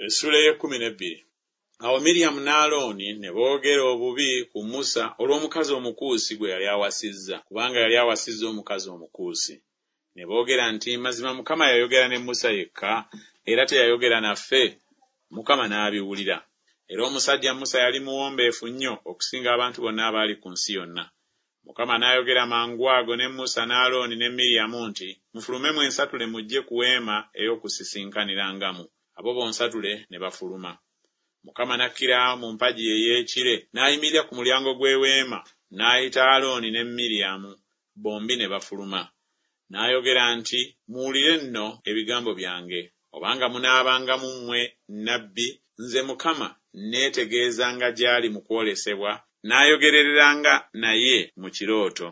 Essuula ey'ekkumi n'ebbiri. Awo Miryamu ne Alooni ne boogera obubi ku Musa olw'omukazi Omukuusi gwe yali awasizza, kubanga yali awasizza omukazi Omukuusi. Ne boogera nti, Mazima Mukama yayogera ne Musa yekka, era teyayogera naffe? Mukama n'abiwulira. Era omusajja Musa yali muwombeefu nnyo okusinga abantu bonna abaali ku nsi yonna. Mukama n'ayogera mangwago ne Musa ne Alooni ne Miryamu nti, Mufulume mwensatule mujje ku weema ey'okusisinkanirangamu. Abo bonsatule ne bafuluma. Mukama n'akkira mu mpagi ey'ekire, n'ayimirira ku mulyango gw'eweema, n'ayita Alooni ne Miryamu, bombi ne bafuluma. N'ayogera nti, Muwulire nno ebigambo byange. Obanga munaabanga mu mmwe nnabbi, nze Mukama nneetegeezanga gy'ali mu kwolesebwa, naayogereranga naye mu kirooto.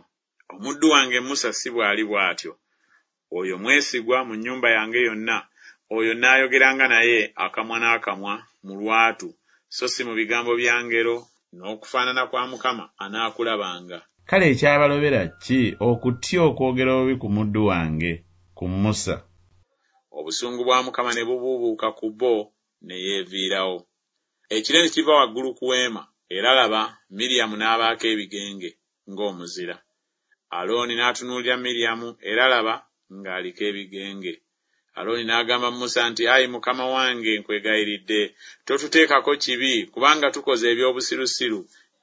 Omuddu wange Musa si bw'ali bw'atyo, oyo mwesigwa mu nnyumba yange yonna, oyo nnaayogeranga naye akamwa n'akamwa mu lwatu, so si mu bigambo bya ngero, n'okufaanana kwa Mukama anaakulabanga. Kale ekyabalobera ki okutya okwogera obubi ku muddu wange, ku Musa? Obusungu bwa Mukama ne bubuubuuka ku bo, ne yeeviirawo. Ekire ne kiva waggulu ku weema, era laba, Miryamu n'abaako ebigenge, ng'omuzira. Alooni n'atunuulira Miryamu, era laba, ng'aliko ebigenge. Alooni n'agamba Musa nti, Ayi mukama wange, nkwegayiridde, totuteekako kibi, kubanga tukoze eby'obusirusiru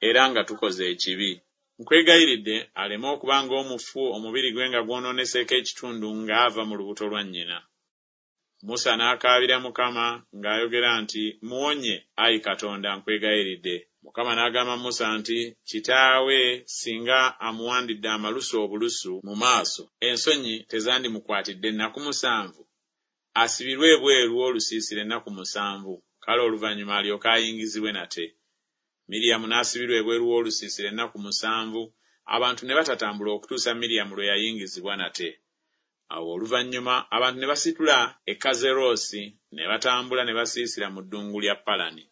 era nga tukoze ekibi. Nkwegayiridde aleme okuba ng'omufu omubiri gwe nga gwonooneseeko ekitundu ng'ava mu lubuto lwa nnyina. Musa n'akaabira Mukama ng'ayogera nti, Muwonye, ayi Katonda, nkwegayiridde. Mukama n'agamba Musa nti, Kitaawe singa amuwandidde amalusu obulusu mu maaso, ensonyi tezandimukwatidde nnaku musanvu? Asibirwe ebweru w'olusiisira ennaku musanvu, kale oluvannyuma alyoke ayingizibwe nate. Miryamu n'asibirwa ebweru w'olusiisira ennaku musanvu, abantu ne batatambula okutuusa Miryamu lwe yayingizibwa nate. Awo oluvannyuma abantu ne basitula e Kazeroosi ne batambula ne basiisira mu ddungu lya Palani.